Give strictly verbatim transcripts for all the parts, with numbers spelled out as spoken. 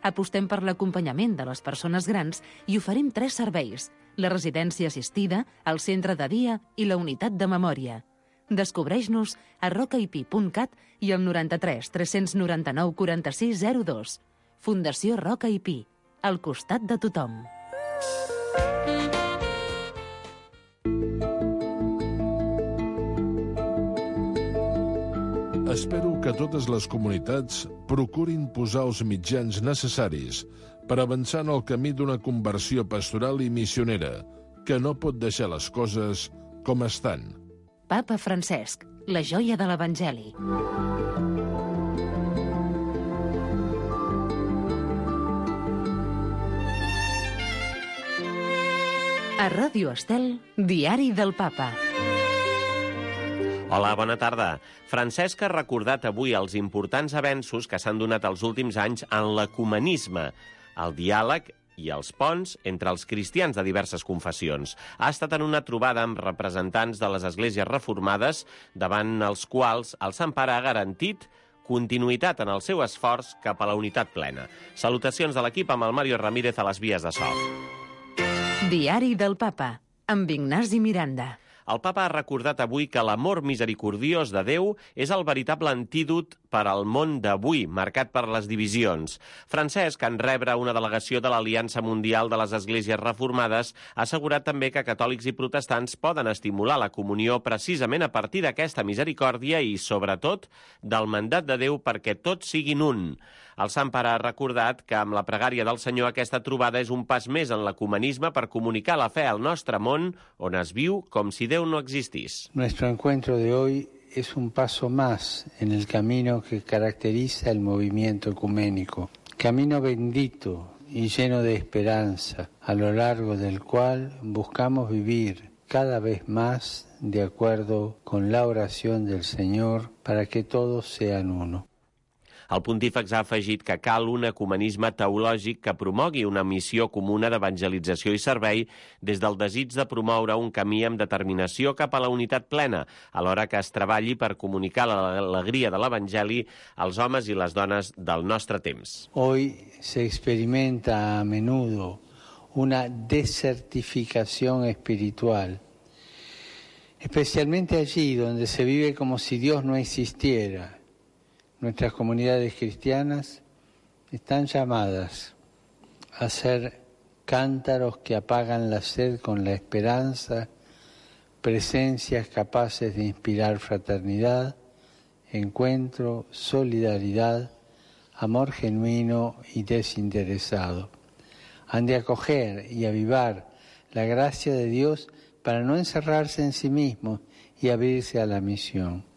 Apostem per l'acompanyament de les persones grans i oferim tres serveis: la residència assistida, el centre de dia i la unitat de memòria. Descobreix-nos a rocaip punt cat i al noranta-tres tres noranta-nou quaranta-sis zero dos. Fundació Roca i Pi, al costat de tothom. Espero que totes les comunitats procurin posar els mitjans necessaris per avançar en el camí d'una conversió pastoral i missionera, que no pot deixar les coses com estan. Papa Francesc, la joia de l'Evangeli. A Ràdio Estel, Diari del Papa. Hola, bona tarda. Francesc ha recordat avui els importants avenços que s'han donat els últims anys en l'ecumenisme, el diàleg i els ponts entre els cristians de diverses confessions. Ha estat en una trobada amb representants de les esglésies reformades, davant els quals el Sant Pare ha garantit continuïtat en el seu esforç cap a la unitat plena. Salutacions de l'equip amb el Mario Ramírez a les vies de so. Diari del Papa, amb Ignasi Miranda. El Papa ha recordat avui que l'amor misericordiós de Déu és el veritable antídot per al món d'avui, marcat per les divisions. Francesc, en rebre una delegació de l'Aliança Mundial de les Esglésies Reformades, ha assegurat també que catòlics i protestants poden estimular la comunió precisament a partir d'aquesta misericòrdia i, sobretot, del mandat de Déu perquè tots siguin un. El Sant Pare ha recordat que amb la pregària del Senyor aquesta trobada és un pas més en l'ecumenisme per comunicar la fe al nostre món, on es viu com si Déu no existís. Nuestro encuentro de hoy es un paso más en el camino que caracteriza el movimiento ecuménico. Camino bendito y lleno de esperanza, a lo largo del cual buscamos vivir cada vez más de acuerdo con la oración del Señor para que todos sean uno. El pontífex ha afegit que cal un ecumenisme teològic que promogui una missió comuna d'evangelització i servei des del desig de promoure un camí amb determinació cap a la unitat plena, alhora que es treballi per comunicar l'alegria de l'Evangeli als homes i les dones del nostre temps. Hoy se experimenta a menudo una desertificación espiritual, especialmente allí donde se vive como si Dios no existiera. Nuestras comunidades cristianas están llamadas a ser cántaros que apagan la sed con la esperanza, presencias capaces de inspirar fraternidad, encuentro, solidaridad, amor genuino y desinteresado. Han de acoger y avivar la gracia de Dios para no encerrarse en sí mismos y abrirse a la misión.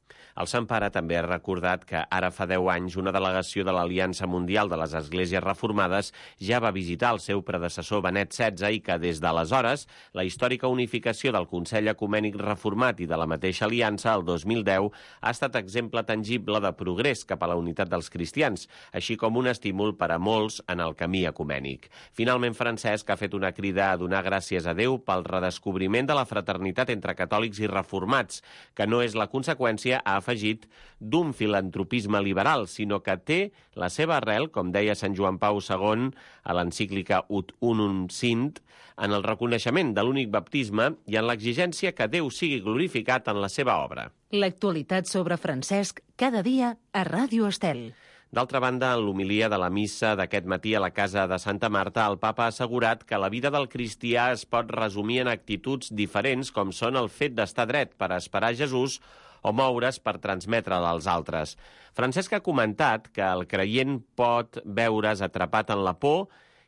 El Sant Pare també ha recordat que ara fa deu anys una delegació de l'Aliança Mundial de les Esglésies Reformades ja va visitar el seu predecessor Benet setze i que des d'aleshores la històrica unificació del Consell Ecumènic Reformat i de la mateixa Aliança el dos mil deu ha estat exemple tangible de progrés cap a la unitat dels cristians, així com un estímul per a molts en el camí ecumènic. Finalment, Francesc ha fet una crida a donar gràcies a Déu pel redescobriment de la fraternitat entre catòlics i reformats, que no és la conseqüència, ha afegit, d'un filantropisme liberal, sinó que té la seva arrel, com deia Sant Joan Pau segon a l'encíclica Ut Unum Sint, en el reconeixement de l'únic baptisme i en l'exigència que Déu sigui glorificat en la seva obra. L'actualitat sobre Francesc cada dia a Ràdio Estel. D'altra banda, en l'homilia de la missa d'aquest matí a la casa de Santa Marta, el papa ha assegurat que la vida del cristià es pot resumir en actituds diferents com són el fet d'estar dret per esperar Jesús o moure's per transmetre'l als altres. Francesc ha comentat que el creient pot veure's atrapat en la por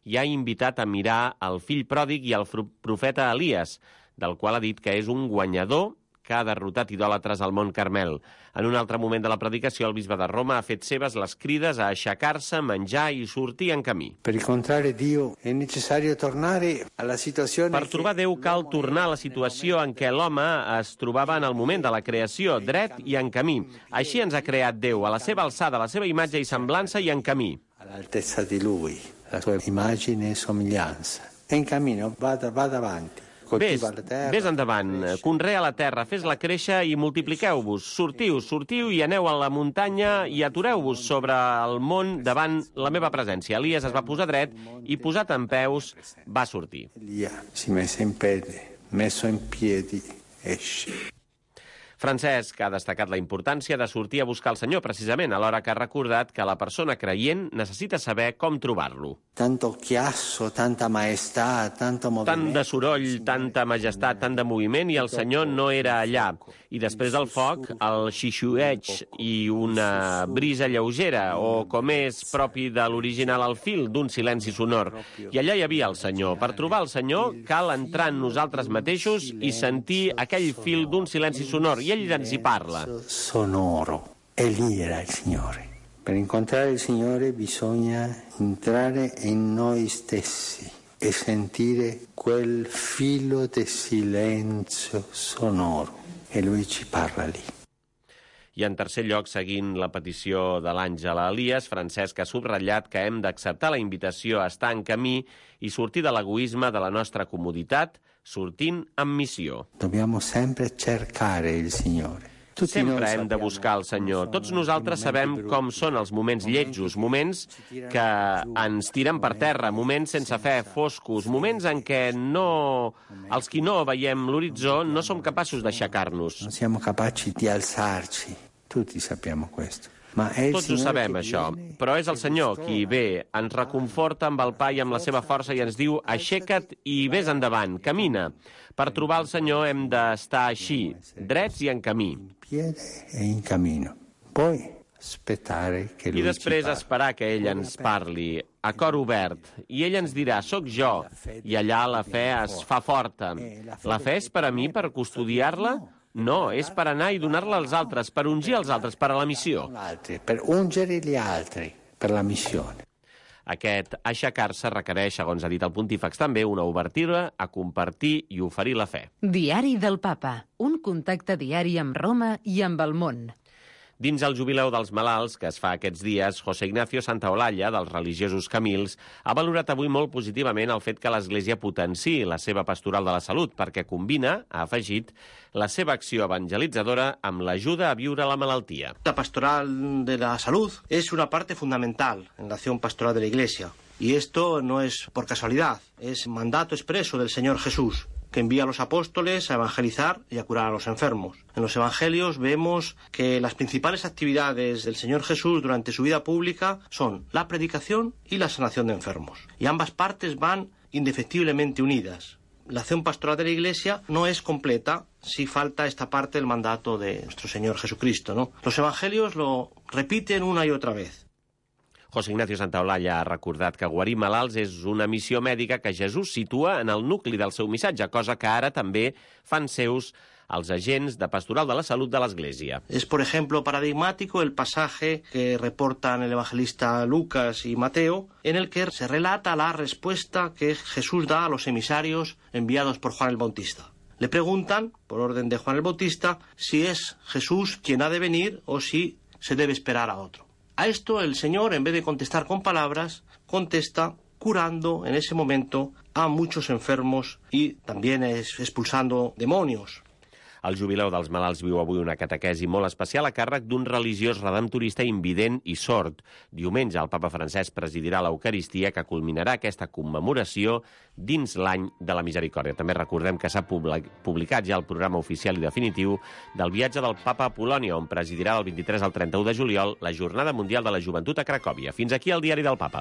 i ha invitat a mirar el fill pròdig i el profeta Elies, del qual ha dit que és un guanyador que ha derrotat idòlatres al Mont Carmel. En un altre moment de la predicació, el bisbe de Roma ha fet seves les crides a aixecar-se, menjar i sortir en camí. Per incontrare Dio è necessario tornare alla situazione. Per trobar Déu cal tornar a la situació en què l'home es trobava en el moment de la creació, dret i en camí. Així ens ha creat Déu, a la seva alçada, a la seva imatge i semblança i en camí. All'altezza di Lui, la sua immagine e somiglianza. E in cammino, va, va davanti. Vés, vés endavant, conrea la terra, fes-la créixer i multipliqueu-vos. Sortiu, sortiu i aneu a la muntanya i atureu-vos sobre el món davant la meva presència. Elies es va posar dret i, posat en peus, va sortir. Elia si messe in piedi, messo in piedi, esce. Francesc ha destacat la importància de sortir a buscar el Senyor, precisament, alhora que ha recordat que la persona creient necessita saber com trobar-lo. Tanto chiasso, tanta maestà, tanto movimento. Tant de soroll, tanta majestat, tant de moviment, i el Senyor no era allà. I després del foc, el xiuxiueig i una brisa lleugera, o com és propi de l'original al fil, d'un silenci sonor. I allà hi havia el Senyor. Per trobar el Senyor cal entrar en nosaltres mateixos i sentir aquell fil d'un silenci sonor. I ell ens hi parla. Sonoro. E lì era il Signore. Per incontrare il Signore bisogna entrare in noi stessi e sentire quel filo di silenzio sonoro. E Lui ci parla lì. I en tercer lloc, seguint la petició de l'àngel Elies, Francesc ha subratllat que hem d'acceptar la invitació a estar en camí i sortir de l'egoisme de la nostra comoditat, sortint amb missió. Dobbiamo sempre cercare il Signore. Sempre hem de buscar el Senyor. Tots nosaltres sabem com són els moments lletjos, moments que ens tiren per terra, moments sense fe, foscos, moments en què no, els qui no veiem l'horitzó no som capaços d'aixecar-nos. Non siamo capaci di alzarci, tutti sappiamo questo. Ma è il Tots ho Signore sabem, che això, viene però és el Senyor qui ve, ens reconforta amb el pa i amb la seva força i ens diu aixeca't i vés endavant, camina. Per trobar el Senyor hem d'estar així, drets i en camí. in piede e in cammino. Poi aspettare che Lui I després ci parli. esperar que ell ens parli, a cor obert, i ell ens dirà, sóc jo, i allà la fe es fa forta. La fe és per a mi, per custodiar-la? No, és per anar i donar-la als altres, per ungir els altres, per a la missió. Altri, per ungere gli altri, per la missione. Aquest aixecar-se requereix, segons ha dit el pontífex, també una obertura a compartir i oferir la fe. Diari del Papa, un contacte diari amb Roma i amb el món. Dins el jubileu dels malalts, que es fa aquests dies, José Ignacio Santaolalla, dels religiosos Camils, ha valorat avui molt positivament el fet que l'Església potenciï la seva pastoral de la salut, perquè combina, ha afegit, la seva acció evangelitzadora amb l'ajuda a viure la malaltia. La pastoral de la salud es una parte fundamental en la acción pastoral de la Iglesia. Y esto no es por casualidad, es mandato expreso del Señor Jesús, que envía a los apóstoles a evangelizar y a curar a los enfermos. En los evangelios vemos que las principales actividades del Señor Jesús durante su vida pública son la predicación y la sanación de enfermos. Y ambas partes van indefectiblemente unidas. La acción pastoral de la Iglesia no es completa si falta esta parte del mandato de nuestro Señor Jesucristo, ¿no? Los evangelios lo repiten una y otra vez. José Ignacio Santaolalla ha recordat que guarir malalts és una missió mèdica que Jesús situa en el nucli del seu missatge, cosa que ara també fan seus els agents de pastoral de la salut de l'Església. Es, por ejemplo, paradigmático el pasaje que reportan el evangelista Lucas y Mateo, en el que se relata la respuesta que Jesús da a los emisarios enviados por Juan el Bautista. Le preguntan, por orden de Juan el Bautista, si es Jesús quien ha de venir o si se debe esperar a otro. A esto el Señor, en vez de contestar con palabras, contesta curando en ese momento a muchos enfermos y también es expulsando demonios. El jubileu dels malalts viu avui una catequesi molt especial a càrrec d'un religiós redemptorista invident i sord. Diumenge el papa Francesc presidirà l'Eucaristia que culminarà aquesta commemoració dins l'any de la Misericòrdia. També recordem que s'ha publicat ja el programa oficial i definitiu del viatge del papa a Polònia, on presidirà del vint-i-tres al trenta-u de juliol la Jornada Mundial de la Joventut a Cracòvia. Fins aquí el Diari del Papa.